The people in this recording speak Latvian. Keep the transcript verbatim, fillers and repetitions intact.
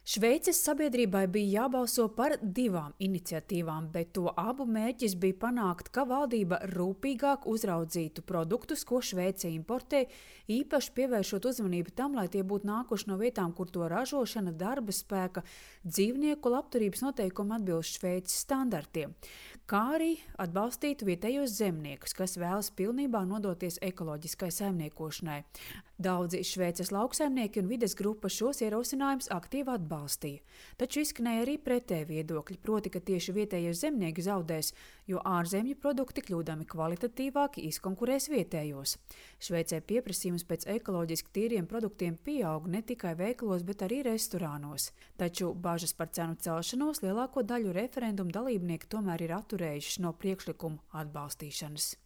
Šveices sabiedrībai bija jābalso par divām iniciatīvām, bet to abu mērķis bija panākt, ka valdība rūpīgāk uzraudzītu produktus, ko Šveice importē, īpaši pievēršot uzmanību tam, lai tie būtu nākuši no vietām, kur to ražošana, darba spēka, dzīvnieku labturības noteikumi atbilst Šveices standartiem, kā arī atbalstītu vietējos zemniekus, kas vēlas pilnībā nodoties ekoloģiskai saimniekošanai. Daudzi Šveices lauksaimnieki un vides grupa šos ierosinājumus aktīvi atbalstīja. Taču izskanēja arī pretēji viedokļi, proti, ka tieši vietējie zemnieki zaudēs, jo ārzemju produkti, kļūdami kvalitatīvāki, izkonkurēs vietējos. Šveicē pieprasījums pēc ekoloģiski tīriem produktiem pieaug ne tikai veikalos, bet arī restorānos. Taču bažas par cenu celšanos lielāko daļu referendumu dalībnieki tomēr ir atturējušas no priekšlikumu atbalstīšanas.